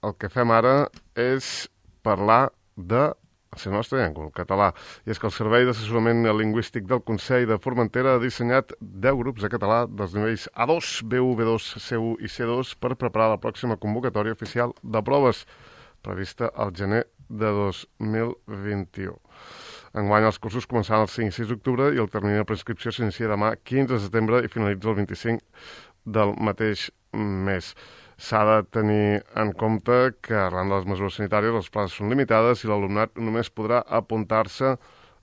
el que fem ara és parlar de la nostra llengua, el català. I és que el Servei d'Assessorament Lingüístic del Consell de Formentera ha dissenyat 10 grups de català dels nivells A2, B1, B2, C1 i C2 per preparar la pròxima convocatòria oficial de proves prevista al gener de 2021. Enguany els cursos començaran el 5 i 6 d'octubre i el termini de prescripció s'inicia demà 15 de setembre i finalitza el 25 del mateix mes. S'ha de tenir en compte que arran de les mesures sanitàries les places són limitades i l'alumnat només podrà apuntar-se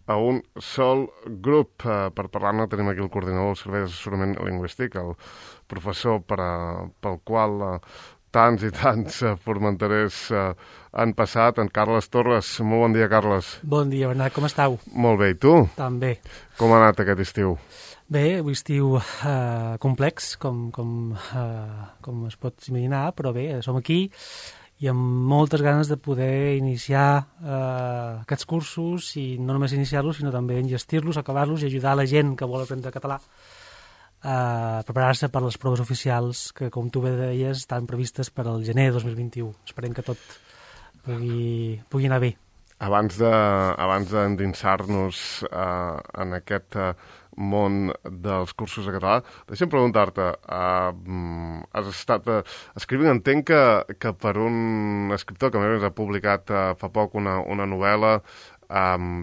a un sol grup. Per parlar-ne tenim aquí el coordinador del Servei d'Assessorament Lingüístic, el professor pel qual tants i tants formenterers han passat, en Carles Torres. Molt bon dia, Carles. Bon dia, Bernat, com estàu? Molt bé, i tu? També. Com ha anat aquest estiu? Bé, un estiu complex, com es pot imaginar, però bé, som aquí i amb moltes ganes de poder iniciar aquests cursos i no només iniciar-los, sinó també enllestir-los, acabar-los i ajudar la gent que vol aprendre català a preparar-se per les proves oficials que, com tu bé deies, estan previstes per al gener de 2021. Esperem que tot pugui anar bé. Abans d'endinsar-nos en aquest món dels cursos de català, deixa'm preguntar-te, has estat escrivint, entenc que per un escriptor que a més ha publicat fa poc una novel·la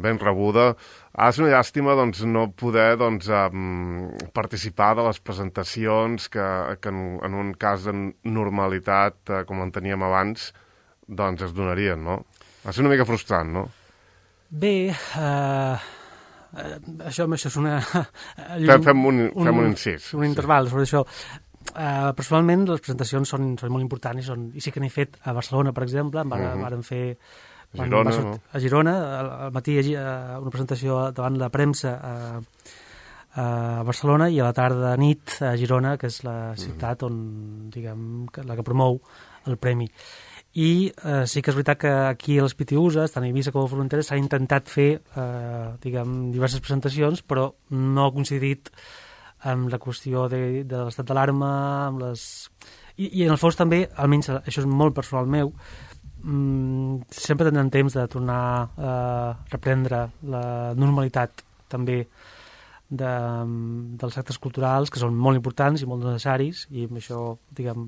ben rebuda, és una llàstima no poder participar de les presentacions que en un cas de normalitat, com en teníem abans, es donarien, no? Va ser una mica frustrant, no? Bé, això és una... Fem un incís. Un interval sobre això. Personalment, les presentacions són molt importants i sí que n'he fet a Barcelona, per exemple, vàrem fer... A Girona, al matí una presentació davant la premsa a Barcelona i a la tarda a nit a Girona, que és la ciutat on, diguem, la que promou el premi. I sí que és veritat que aquí a les PTUs, tant a Eivissa com a Formentera, s'ha intentat fer diverses presentacions, però no ha coincidit amb la qüestió de l'estat d'alarma, amb les... I en el fons també, almenys això és molt personal meu, sempre tindrem temps de tornar a reprendre la normalitat també dels actes culturals, que són molt importants i molt necessaris, i amb això, diguem,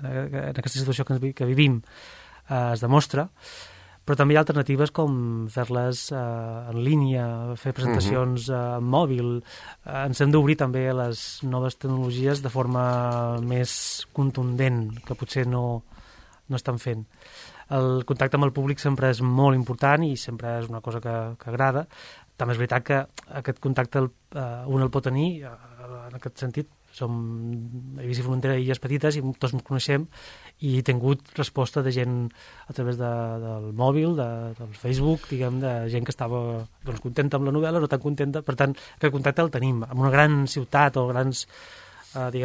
en aquesta situació que vivim es demostra, però també hi ha alternatives com fer-les en línia, fer presentacions en mòbil. Ens hem d'obrir també a les noves tecnologies de forma més contundent, que potser no estan fent. El contacte amb el públic sempre és molt important i sempre és una cosa que agrada. També és veritat que aquest contacte un el pot tenir, en aquest sentit, som Eivissa i Formentera, illes petites, i tots ens coneixem, i he tingut resposta de gent a través del mòbil, del Facebook, diguem, de gent que estava contenta amb la novel·la, no tan contenta. Per tant, aquest contacte el tenim. En una gran ciutat o grans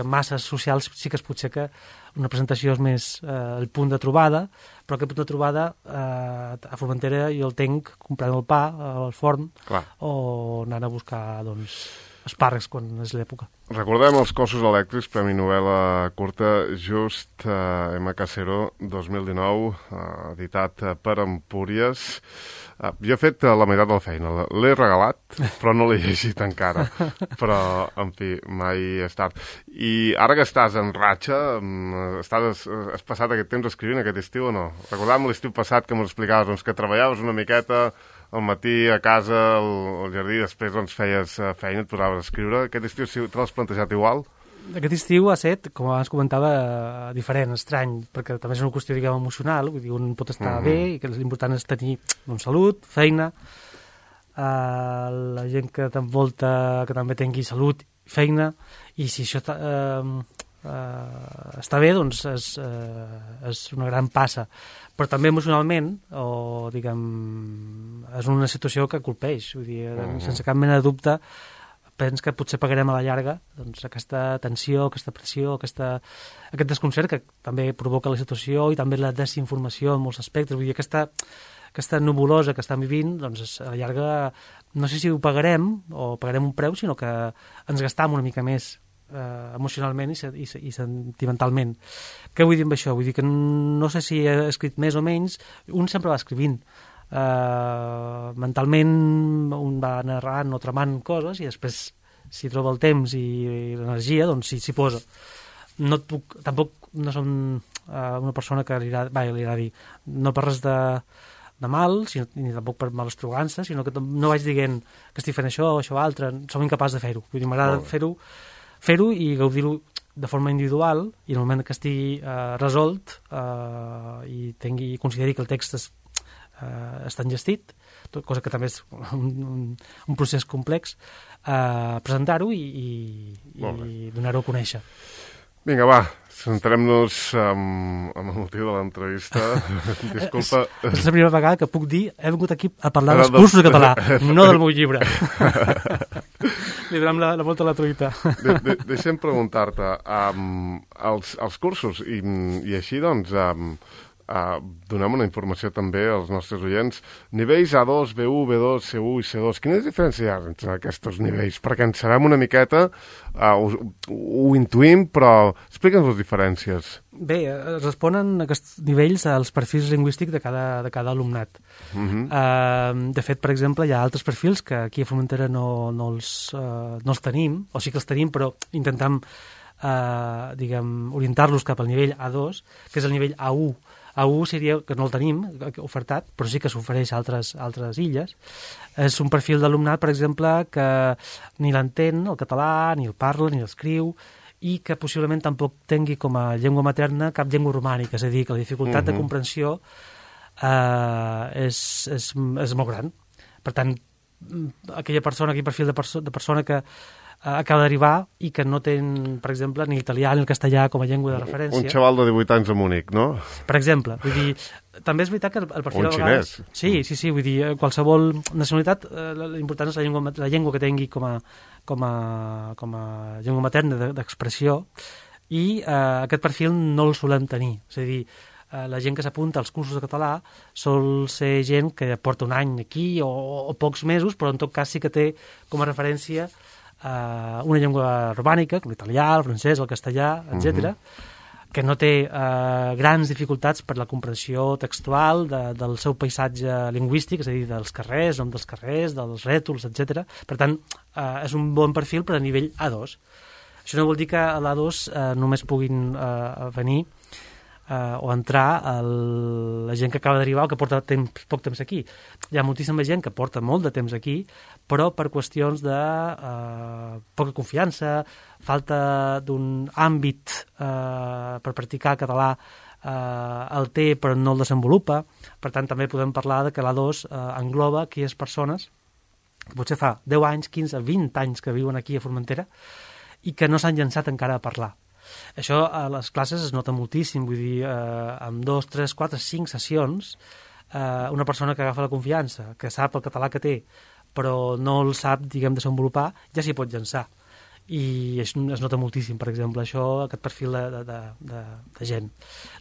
masses socials sí que és potser que una presentació és més el punt de trobada, però aquest punt de trobada a Formentera jo el tenc comprant el pa al forn. Clar. O anant a buscar espàrrecs quan és l'època. Recordem els Cossos elèctrics, Premi Novel·la curta Just MK0 2019, editat per Empúries. Jo he fet la meitat de la feina, l'he regalat, però no l'he llegit encara. Però, en fi, mai és tard. I ara que estàs en ratxa, has passat aquest temps escrivint aquest estiu o no? Recordàvem l'estiu passat que m'ho explicaves, que treballaves una miqueta al matí a casa, al jardí, després feies feina, et posaves a escriure. Aquest estiu te l'has plantejat igual? Aquest estiu ha estat, com abans comentava, diferent, estrany, perquè també és una qüestió, diguem, emocional, vull dir, un pot estar bé i que l'important és tenir salut, feina, la gent que t'envolta que també tingui salut, feina, i si això està bé, doncs és una gran passa. Però també emocionalment, o diguem, és una situació que colpeix, vull dir, sense cap mena de dubte, penso que potser pagarem a la llarga aquesta tensió, aquesta pressió, aquest desconcert que també provoca la situació i també la desinformació en molts aspectes. Vull dir, aquesta nubulosa que estem vivint, doncs a la llarga no sé si ho pagarem o pagarem un preu, sinó que ens gastam una mica més emocionalment i sentimentalment. Què vull dir amb això? Vull dir que no sé si he escrit més o menys, un sempre va escrivint. Mentalment un va narrant o tramant coses i després, si troba el temps i l'energia, doncs s'hi posa. Tampoc no som una persona que li agrada dir no per res de mal, ni tampoc per mala estrogança, sinó que no vaig dient que estic fent això o això altre, som incapaç de fer-ho. Vull dir, m'agrada fer-ho i gaudir-ho de forma individual, i en el moment que estigui resolt i consideri que el text està engestit, cosa que també és un procés complex, presentar-ho i donar-ho a conèixer. Vinga, va, centrem-nos amb el motiu de l'entrevista. Disculpa. És la primera vegada que puc dir he vingut aquí a parlar dels cursos de català, no del meu llibre. Li donem la volta a la truita. Deixa'm preguntar-te, els cursos, i així doncs donem una informació també als nostres oients, nivells A2, B1, B2, C1 i C2, quina diferència hi ha entre aquests nivells? Perquè en sabem una miqueta, ho intuïm, però explica'ns les diferències. Bé, responen aquests nivells als perfils lingüístics de cada alumnat. De fet, per exemple, hi ha altres perfils que aquí a Formentera no els tenim, o sí que els tenim, però intentem orientar-los cap al nivell A2, que és el nivell A1. A1 seria, que no el tenim ofertat, però sí que s'ofereix a altres illes. És un perfil d'alumnat, per exemple, que ni l'entén, el català, ni el parla, ni l'escriu, i que possiblement tampoc tingui com a llengua materna cap llengua romànica, és a dir, que la dificultat de comprensió és molt gran. Per tant, aquell perfil de persona que acaba d'arribar i que no té, per exemple, ni l'italià ni el castellà com a llengua de referència. Un xaval de 18 anys a Múnich, no? Per exemple. Vull dir, també és veritat que el perfil... O un xinès. Sí, vull dir, qualsevol nacionalitat, l'important és la llengua que tingui com a llengua materna d'expressió, i aquest perfil no el solem tenir. És a dir, la gent que s'apunta als cursos de català sol ser gent que porta un any aquí o pocs mesos, però en tot cas sí que té com a referència una llengua romànica, com l'italià, el francès, el castellà, etc., que no té grans dificultats per la comprensió textual del seu paisatge lingüístic, és a dir, dels carrers, nom dels carrers, dels rètols, etc. Per tant, és un bon perfil per a nivell A2. Això no vol dir que a l'A2 només puguin venir o entrar la gent que acaba d'arribar o que porta poc temps aquí. Hi ha moltíssima gent que porta molt de temps aquí, però per qüestions de poca confiança, falta d'un àmbit per practicar català, el té però no el desenvolupa. Per tant, també podem parlar de que l'A2 engloba aquelles persones que potser fa 10 anys, 15, 20 anys que viuen aquí a Formentera i que no s'han llançat encara a parlar. Això a les classes es nota moltíssim, vull dir, amb 2, 3, 4, 5 sessions, una persona que agafa la confiança, que sap el català que té, però no el sap, desenvolupar, ja s'hi pot llançar. I es nota moltíssim, per exemple, aquest perfil de gent.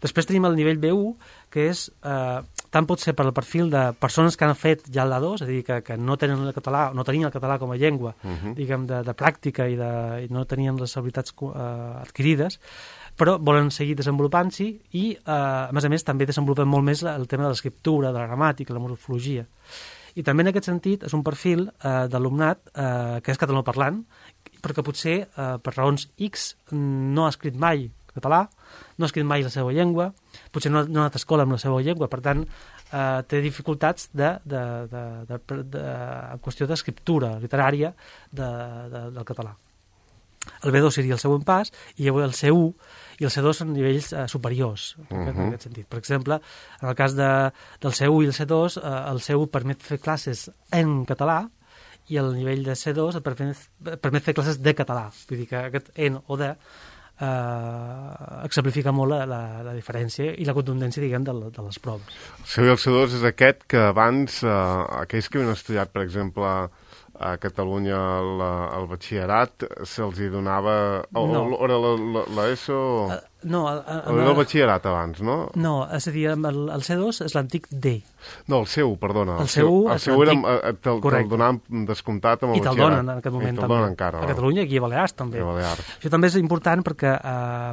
Després tenim el nivell B1, que és, tant pot ser per el perfil de persones que han fet ja l'A2, és a dir, que no tenien el català com a llengua, de pràctica i no tenien les habilitats adquirides, però volen seguir desenvolupant-s'hi i, a més, també desenvolupen molt més el tema de l'escriptura, de la gramàtica, la morfologia. I també en aquest sentit és un perfil d'alumnat que és catalanoparlant, perquè potser per raons X no ha escrit mai català, no ha escrit mai la seva llengua, potser no ha anat a escola amb la seva llengua, per tant té dificultats en qüestió d'escriptura literària del català. El B2 seria el següent pas, i el C1 i el C2 són nivells superiors, en aquest sentit. Per exemple, en el cas del C1 i el C2, el C1 permet fer classes en català, i el nivell de C2 et permet fer classes de català. Vull dir que aquest en o de exemplifica molt la diferència i la contundència, de les proves. El C1 i el C2 és aquest que abans, aquells que havien estudiat, per exemple, a Catalunya el batxillerat se'ls hi donava... No. Era l'ESO... No, el batxillerat abans, no? No, és a dir, el C2 és l'antic D. No, el C1, perdona. El C1 és l'antic, te'l donaven descomptat amb el batxillerat. I te'l donen en aquest moment també. Encara, a Catalunya i aquí a Balears també. Això també és important perquè,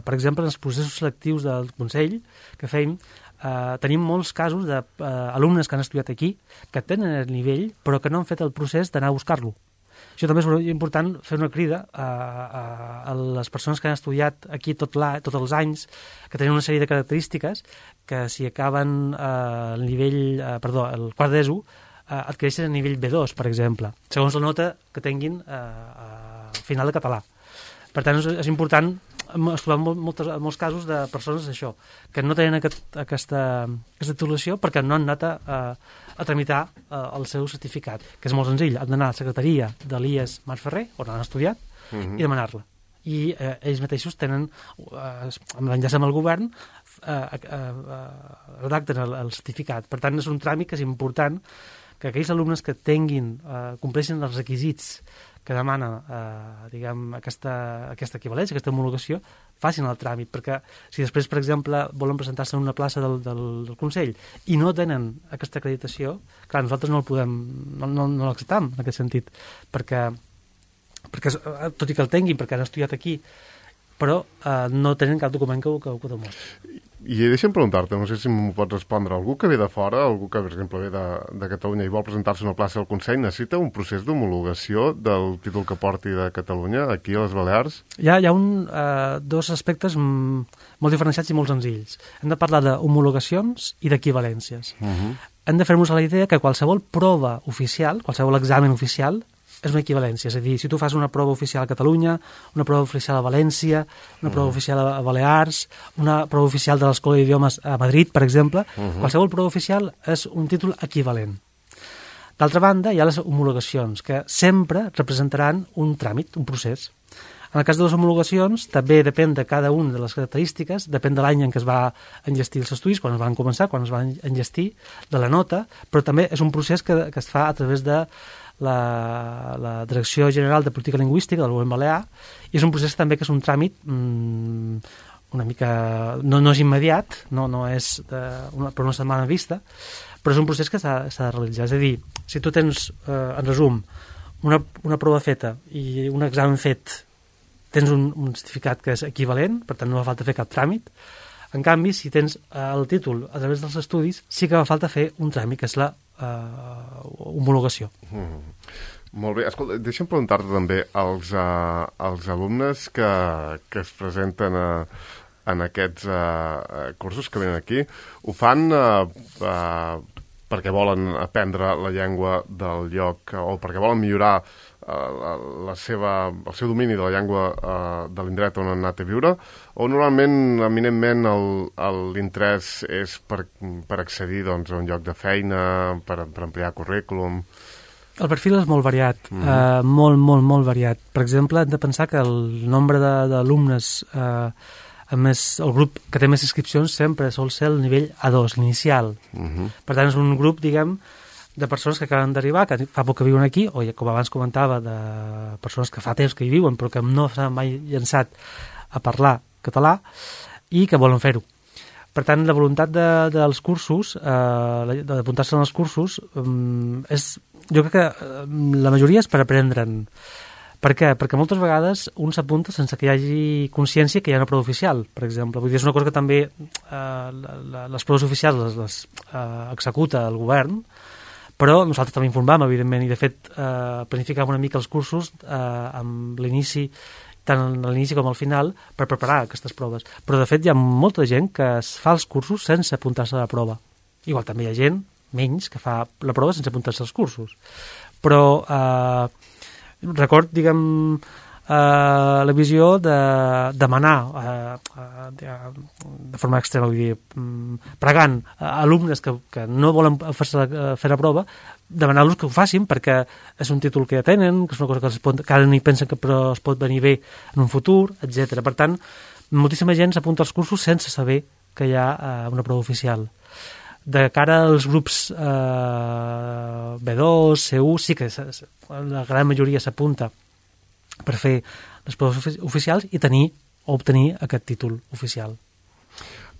per exemple, en els processos selectius del Consell que feim, tenim molts casos d'alumnes que han estudiat aquí, que tenen el nivell, però que no han fet el procés d'anar a buscar-lo. Això també és important fer una crida a les persones que han estudiat aquí tots els anys, que tenen una sèrie de característiques que si acaben el quart d'ESO, adquireixen el nivell B2, per exemple, segons la nota que tinguin al final de català. Per tant, és important. Hem estudiat molts casos de persones això, que no tenen aquesta titulació perquè no han anat a tramitar el seu certificat, que és molt senzill. Han d'anar a la secretaria de l'IES Mas Ferrer, on han estudiat, i demanar-la. I ells mateixos tenen, amb l'enllaç amb el govern, redacten el certificat. Per tant, és un tràmit que és important que aquells alumnes que compleixin els requisits que demana aquesta equivalència, aquesta homologació, facin el tràmit, perquè si després, per exemple, volen presentar-se en una plaça del Consell i no tenen aquesta acreditació, clar, nosaltres no l'acceptam en aquest sentit, perquè tot i que el tinguin, perquè han estudiat aquí, però no tenen cap document que ho demostri. I deixa'm preguntar-te, no sé si m'ho pots respondre, algú que ve de fora, algú que, per exemple, ve de Catalunya i vol presentar-se a una plaça del Consell, necessita un procés d'homologació del títol que porti de Catalunya, aquí a les Balears? Hi ha dos aspectes molt diferenciats i molt senzills. Hem de parlar d'homologacions i d'equivalències. Hem de fer-nos a la idea que qualsevol prova oficial, qualsevol examen oficial, és una equivalència, és a dir, si tu fas una prova oficial a Catalunya, una prova oficial a València, una prova oficial a Balears, una prova oficial de l'Escola d'Idiomes a Madrid, per exemple, qualsevol prova oficial és un títol equivalent. D'altra banda, hi ha les homologacions, que sempre representaran un tràmit, un procés. En el cas de les homologacions, també depèn de cada una de les característiques, depèn de l'any en què es va enllestir els estudis, quan es van començar, quan es van enllestir, de la nota, però també és un procés que es fa a través de la Direcció General de Política Lingüística del Govern Balear, i és un procés també que és un tràmit una mica... no és immediat, no és per una setmana vista, però és un procés que s'ha de realitzar. És a dir, si tu tens, en resum, una prova feta i un examen fet, tens un certificat que és equivalent, per tant no fa falta fer cap tràmit. En canvi, si tens el títol a través dels estudis, sí que fa falta fer un tràmit, que és la homologació. Molt bé. Escolta, deixa'm preguntar-te també als alumnes que es presenten en aquests cursos que venen aquí, ho fan perquè volen aprendre la llengua del lloc o perquè volen millorar el seu domini de la llengua de l'indret on han anat a viure, o normalment, eminentment, l'interès és per accedir a un lloc de feina, per ampliar currículum? El perfil és molt variat, molt variat. Per exemple, hem de pensar que el nombre d'alumnes, a més, el grup que té més inscripcions sempre sol ser el nivell A2, l'inicial. Per tant, és un grup, diguem, de persones que acaben d'arribar, que fa poc que viuen aquí, o com abans comentava, de persones que fa temps que hi viuen però que no s'han mai llançat a parlar català i que volen fer-ho. Per tant, la voluntat dels cursos, d'apuntar-se als cursos, jo crec que la majoria és per aprendre'n. Per què? Perquè moltes vegades un s'apunta sense que hi hagi consciència que hi ha una prova oficial, per exemple. Vull dir, és una cosa que també les proves oficials les executa el govern, però nosaltres també informem, evidentment, i de fet planificam una mica els cursos amb l'inici, tant a l'inici com al final, per preparar aquestes proves. Però de fet hi ha molta gent que es fa els cursos sense apuntar-se a la prova. Igual també hi ha gent, menys, que fa la prova sense apuntar-se als cursos. Però record, diguem, la visió de demanar de forma extrema, vull dir, pregant a alumnes que no volen fer la prova, demanar-los que ho facin perquè és un títol que ja tenen, que és una cosa que ara ni pensen que però es pot venir bé en un futur, etc. Per tant, moltíssima gent s'apunta als cursos sense saber que hi ha una prova oficial. De cara als grups B2, C1, sí que la gran majoria s'apunta per fer les proves oficials i obtenir aquest títol oficial.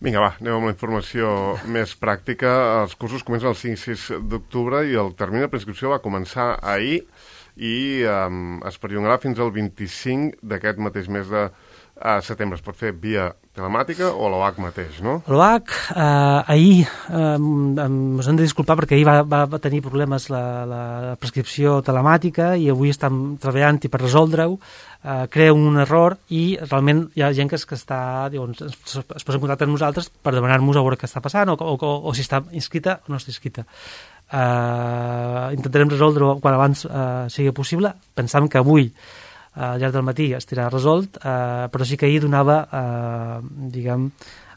Vinga, va, anem amb la informació més pràctica. Els cursos comencen el 5 i 6 d'octubre i el termini de preinscripció va començar ahir i es perllongarà fins al 25 d'aquest mateix mes de setembre. Es pot fer via telemàtica o a l'OAC mateix, no? A l'OAC, ahir ens hem de disculpar perquè ahir va tenir problemes la prescripció telemàtica i avui estem treballant-hi per resoldre-ho. Crea un error i realment hi ha gent que està, es posa en contacte amb nosaltres per demanar-nos a veure què està passant o si està inscrita o no està inscrita. Intentarem resoldre-ho quan abans sigui possible. Pensam que avui al llarg del matí estarà resolt, però sí que ahir donava,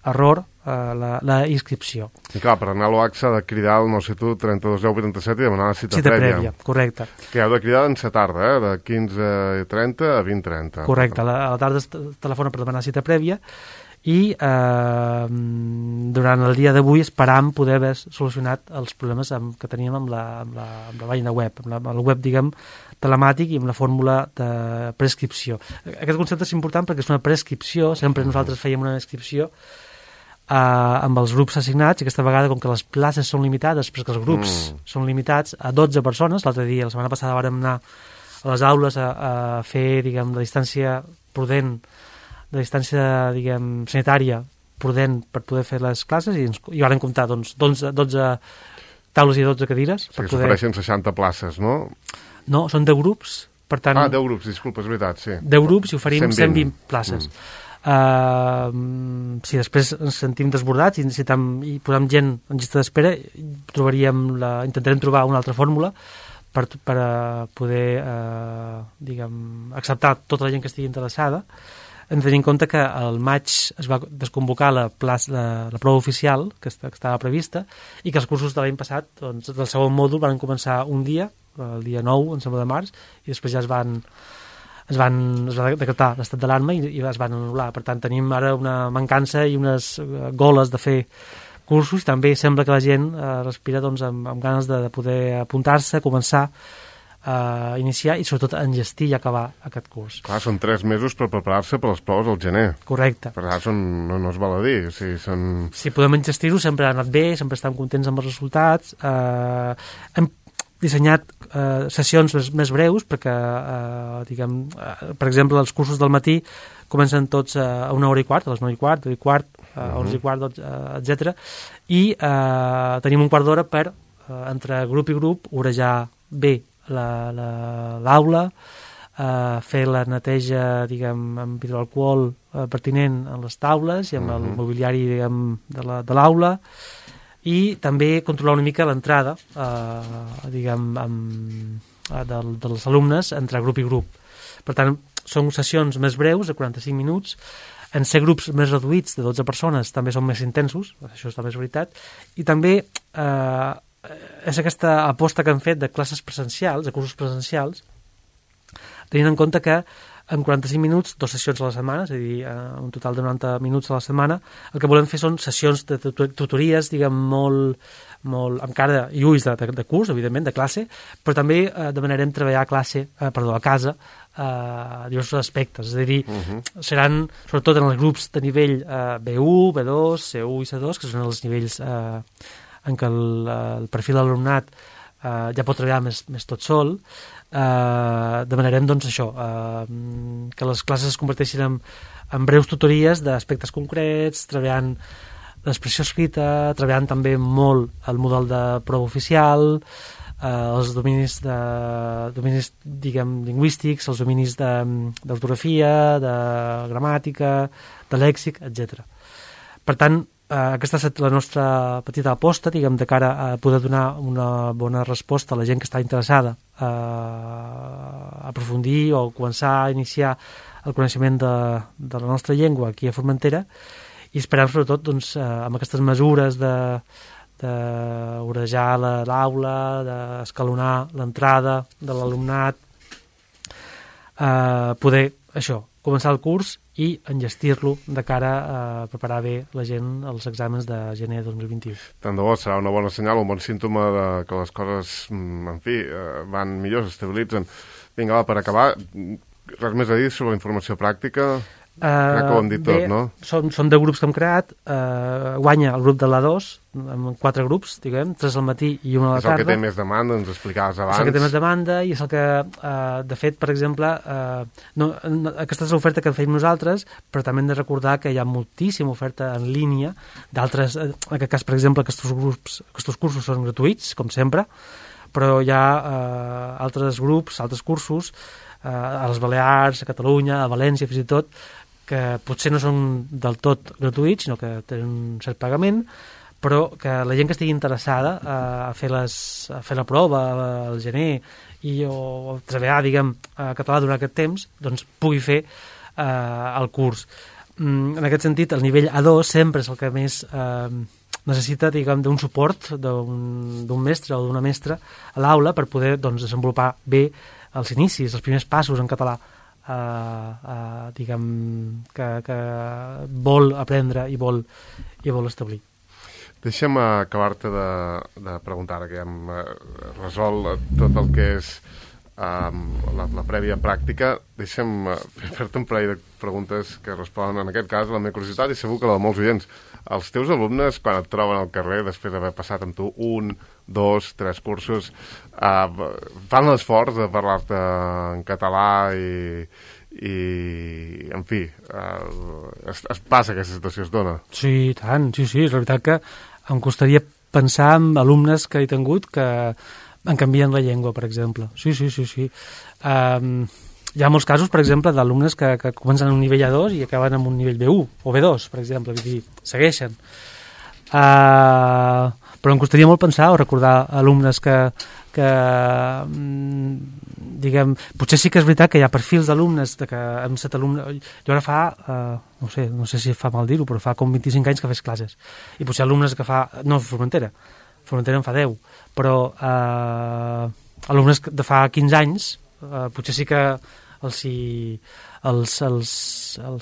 error la inscripció. I clar, per anar a l'OAC s'ha de cridar al 971-3210-87 i demanar la cita prèvia. Correcte. Que heu de cridar en sa tarda, de 15:30 a 20:30. Correcte, a la tarda es telefona per demanar cita prèvia i durant el dia d'avui esperam poder haver solucionat els problemes que teníem amb la pàgina web, amb el web, telemàtic i amb la fórmula de prescripció. Aquest concepte és important perquè és una prescripció, sempre nosaltres fèiem una inscripció amb els grups assignats i aquesta vegada, com que les places són limitades, perquè els grups són limitats a 12 persones, l'altre dia, la setmana passada, vàrem anar a les aules a fer, la distància prudent, la distància, sanitària prudent per poder fer les classes i vàrem comptar, 12 taules i 12 cadires. Sí, s'ofereixen 60 places, no? No, són 10 grups, per tant... 10 grups, disculpa, és veritat, sí. 10 grups i oferim 120 places. Si després ens sentim desbordats i necessitem i posem gent en llista d'espera, intentarem trobar una altra fórmula per poder acceptar tota la gent que estigui interessada. Hem de tenir en compte que al maig es va desconvocar la prova oficial que estava prevista i que els cursos de l'any passat, del segon mòdul, van començar un dia, el dia 9, em sembla, de març, i després ja es va decretar l'estat d'alarma i es van anul·lar. Per tant, tenim ara una mancança i unes goles de fer cursos. També sembla que la gent respira amb ganes de poder apuntar-se, començar a iniciar i sobretot a enllestir i acabar aquest curs. Clar, són 3 mesos per preparar-se per les proves al gener. Correcte. Per tant, no es val a dir. Si podem enllestir-ho, sempre ha anat bé, sempre estem contents amb els resultats. Hem dissenyat sessions més breus perquè, per exemple, els cursos del matí comencen tots a 1h15, a les 9h15, 10h15, 11h15, etc. I tenim un quart d'hora per, entre grup i grup, orejar bé l'aula, fer la neteja, amb hidroalcohol pertinent en les taules i amb el mobiliari, de l'aula, i també controlar una mica l'entrada dels alumnes entre grup i grup. Per tant, són sessions més breus, de 45 minuts. En ser grups més reduïts, de 12 persones, també són més intensos, això també és veritat. I també és aquesta aposta que han fet de classes presencials, de cursos presencials, tenint en compte que en 45 minuts, 2 sessions a la setmana, és a dir, un total de 90 minuts a la setmana, el que volem fer són sessions de tutories, molt amb cara i ulls de curs, evidentment, de classe, però també demanarem treballar a casa diversos aspectes, és a dir, seran sobretot en els grups de nivell B1, B2, C1 i C2, que són els nivells en què el perfil de l'alumnat ja pot treballar més tot sol. Demanarem això, que les classes es converteixin en breus tutories d'aspectes concrets, treballant l'expressió escrita, treballant també molt el model de prova oficial, els dominis lingüístics, els dominis d'ortografia, de gramàtica, de lèxic, etc. Per tant, aquesta ha estat la nostra petita aposta, de cara a poder donar una bona resposta a la gent que està interessada a aprofundir o començar a iniciar el coneixement de la nostra llengua aquí a Formentera, i esperem sobretot amb aquestes mesures d'orejar l'aula, d'escalonar l'entrada de l'alumnat, poder començar el curs i enllestir-lo de cara a preparar bé la gent als exàmens de gener de 2021. Tant de bo, serà una bona senyal, un bon símptoma de que les coses, en fi, van millor, s'estabilitzen. Vinga, va, per acabar, res més a dir sobre la informació pràctica? Crec que ho hem dit tot, no? Són 10 grups que hem creat, guanya el grup de l'A2, amb 4 grups, diguem, 3 al matí i 1 a la tarda. És el que té més demanda, ens explicaves abans. És el que té més demanda i és el que, de fet, per exemple, aquesta és l'oferta que fem nosaltres, però també hem de recordar que hi ha moltíssima oferta en línia d'altres, en aquest cas, per exemple, aquests cursos són gratuïts, com sempre, però hi ha altres grups, altres cursos, a les Balears, a Catalunya, a València, fins i tot, que potser no són del tot gratuïts, sinó que tenen un cert pagament, però que la gent que estigui interessada a fer la prova al gener o treballar, diguem, a català durant aquest temps, doncs pugui fer el curs. En aquest sentit, el nivell A2 sempre és el que més necessita, diguem, d'un suport d'un mestre o d'una mestra a l'aula per poder, doncs, desenvolupar bé els inicis, els primers passos en català, diguem, que vol aprendre i vol establir. Deixa'm acabar-te de preguntar, ara que ja hem resolt tot el que és la prèvia pràctica. Deixa'm fer-te un parell de preguntes que responen, en aquest cas, a la meva curiositat i segur que la de molts oients. Els teus alumnes, quan et troben al carrer, després d'haver passat amb tu 1, 2, 3 cursos, fan l'esforç de parlar-te en català i en fi, es passa aquesta situació, es dona? Sí, tant, sí, és la veritat que em costaria pensar en alumnes que he tingut que en canvien la llengua, per exemple. Sí. Hi ha molts casos, per exemple, d'alumnes que comencen en un nivell A2 i acaben en un nivell B1 o B2, per exemple, vull dir, segueixen. Però em costaria molt pensar o recordar alumnes que diguem, potser sí que és veritat que hi ha perfils d'alumnes que hem set alumnes, jo ara fa no sé si fa mal dir-ho, però fa com 25 anys que fes classes, i potser alumnes que fa, no, Formentera en fa 10, però alumnes de fa 15 anys potser sí que els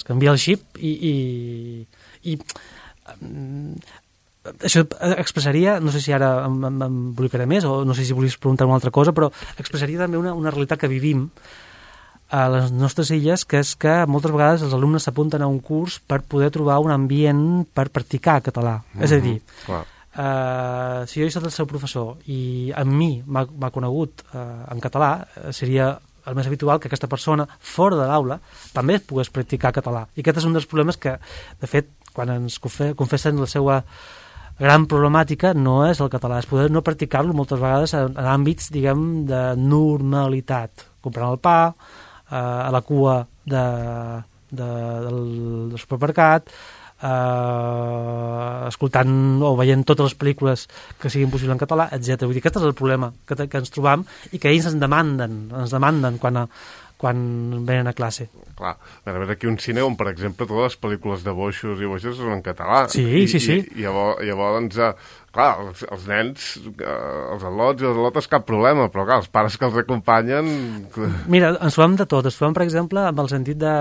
canvia el xip i això expressaria, no sé si ara m'embolicaré més o no sé si volies preguntar una altra cosa, però expressaria també una realitat que vivim a les nostres illes, que és que moltes vegades els alumnes s'apunten a un curs per poder trobar un ambient per practicar català. És a dir, si jo he estat el seu professor i amb mi m'ha conegut en català, seria el més habitual que aquesta persona, fora de l'aula, també pogués practicar català. I aquest és un dels problemes que, de fet, quan ens confessen la seva gran problemàtica, no és el català, és poder no practicar-lo moltes vegades en àmbits, diguem, de normalitat. Comprant el pa, a la cua del supermercat, escoltant o veient totes les pel·lícules que siguin possibles en català, etc. Vull dir, aquest és el problema que ens trobam i que ells ens demanden quan venen a classe. Clar, a veure, aquí un cine on, per exemple, totes les pel·lícules de boixos i boixes són en català. Sí. I llavors, doncs, clar, els nens, els al·lots i les al·lotes, cap problema, però clar, els pares que els acompanyen... Mira, ens trobem de tot. Ens trobem, per exemple, amb el sentit de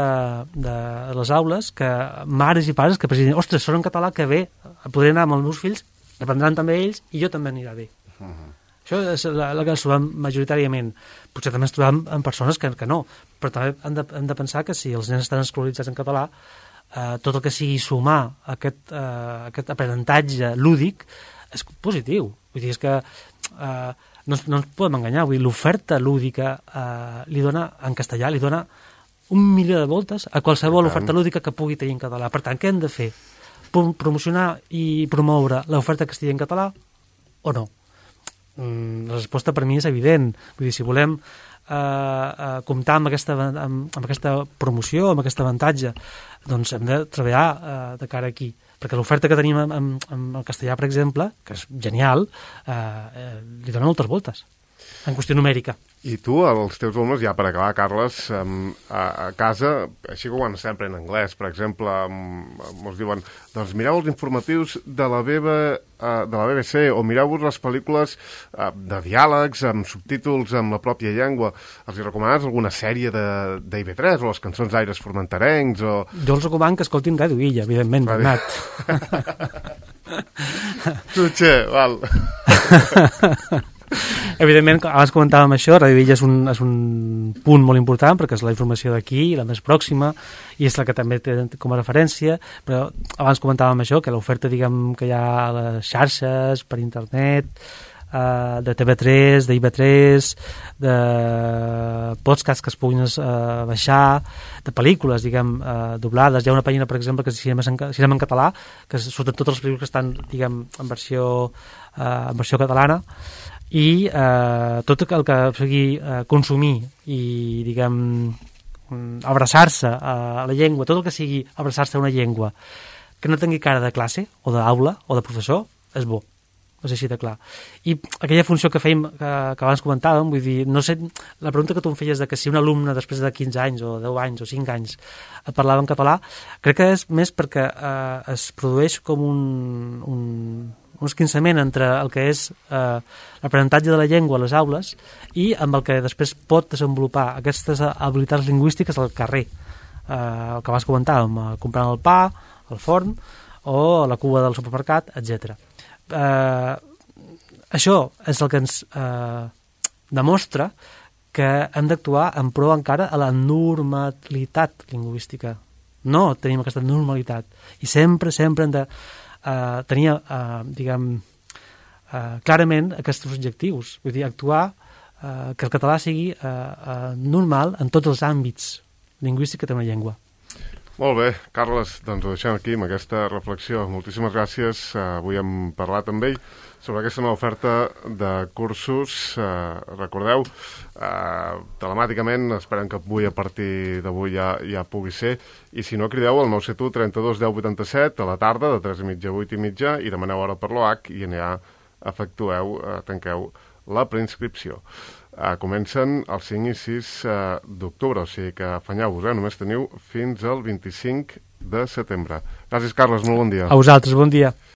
les aules, que mares i pares que presidien, ostres, són en català, que bé, podré anar amb els meus fills, aprendran també ells, i jo també anirà bé. Això és el que ens trobem majoritàriament. Potser també ens trobem amb persones que no, però també hem de pensar que si els nens estan escolaritzats en català, tot el que sigui sumar aquest aprenentatge lúdic és positiu. Vull dir, és que no ens podem enganyar. Vull dir, l'oferta lúdica li dona, en castellà, li dona 1.000.000 de voltes a qualsevol oferta lúdica que pugui tenir en català. Per tant, què hem de fer? Promocionar i promoure l'oferta que estigui en català o no? La resposta per mi és evident. Vull dir, si volem comptar amb aquesta promoció, amb aquest avantatge, doncs hem de treballar de cara aquí, perquè l'oferta que tenim en el castellà, per exemple, que és genial, li dona moltes voltes. en qüestió numèrica. I tu, els teus alumnes, ja per acabar, Carles, a casa, així que quan sempre en anglès, per exemple, ens diuen, doncs mireu els informatius de la BBC o mireu-vos les pel·lícules de diàlegs, amb subtítols amb la pròpia llengua. Els hi recomanes alguna sèrie d'IV3 o les cançons d'aires formenterencs? O... Jo els recomano que escoltin Ràdio Illa, evidentment, Bernat. Tutxer, val. Evidentment, abans comentàvem això, Ràdio Illa és un punt molt important perquè és la informació d'aquí, la més pròxima, i és la que també té com a referència, però abans comentàvem això, que l'oferta, diguem, que hi ha a les xarxes, per internet, de TV3, d'IV3, de podcasts que es puguin baixar, de pel·lícules, diguem, doblades. Hi ha una pàgina, per exemple, que és Cinema en Català, que surten totes les pel·lícules que estan, diguem, en versió catalana, i tot el que sigui consumir i, diguem, abraçar-se a la llengua, tot el que sigui abraçar-se a una llengua que no tingui cara de classe o d'aula o de professor, és bo. És així de clar. I aquella funció que fèiem, que abans comentàvem, vull dir, no sé, la pregunta que tu em feies de que si un alumne després de 15 anys o 10 anys o 5 anys et parlava en català, crec que és més perquè es produeix com un esquinçament entre el que és l'aprenentatge de la llengua a les aules i amb el que després pot desenvolupar aquestes habilitats lingüístiques al carrer, el que abans comentàvem, comprant el pa, al forn o a la cua del supermercat, etc. Això és el que ens demostra que hem d'actuar en pro encara a la normalitat lingüística. No tenim aquesta normalitat i sempre hem de tenir, diguem, clarament aquests objectius. Vull dir, actuar que el català sigui normal en tots els àmbits lingüístics que té una llengua. Molt bé, Carles, doncs ho deixem aquí amb aquesta reflexió. Moltíssimes gràcies. Avui hem parlat amb ell sobre aquesta nova oferta de cursos. Recordeu, telemàticament, esperem que avui, a partir d'avui ja pugui ser, i si no, crideu al 971 32 10 87 a la tarda, de 3:30 a 8:30, i demaneu hora per l'OH i ja tanqueu la preinscripció. Comencen el 5 i 6 d'octubre, o sigui que afanyeu-vos, només teniu fins al 25 de setembre. Gràcies, Carles, molt bon dia. A vosaltres, bon dia.